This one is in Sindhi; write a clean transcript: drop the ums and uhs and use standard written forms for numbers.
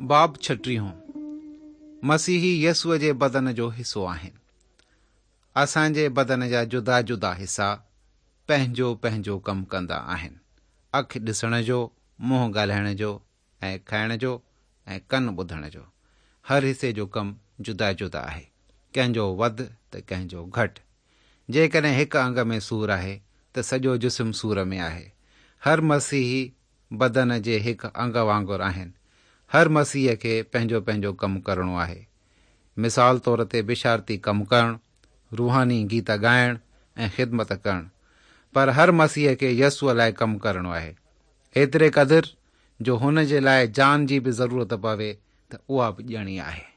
باب ڇٽيهون، مسيحي يسوع جي بدن جو حصو آهن. اسان جي بدن جا جدا جدا حصا پنهنجو پنهنجو ڪم ڪندا آهن. اک ڏسڻ جو، منهن ڳالهائڻ جو ۽ کائڻ جو ۽ ڪن ٻڌڻ جو. هر حصي جو ڪم جدا جدا آهي. ڪنهن جو وڌ ته ڪنهن جو گهٽ. جيڪڏهن هڪ انگ ۾ سور آهي ته سڄو جسم سور ۾ آهي. هر مسيحي بدن جي هڪ انگ وانگر آهن. هر مسيحيء کي پنهنجو پنهنجو ڪم ڪرڻو آهي. مثال طور تي بشارتي ڪم ڪرڻ، روحاني گيت ڳائڻ ۽ خدمت ڪرڻ. پر هر مسيحيء کي يسوع لاء ڪم ڪرڻو آهي. ايتري قدر جو هن جي لاء جان جي به ضرورت پوي ته اها به ڏيڻي آهي.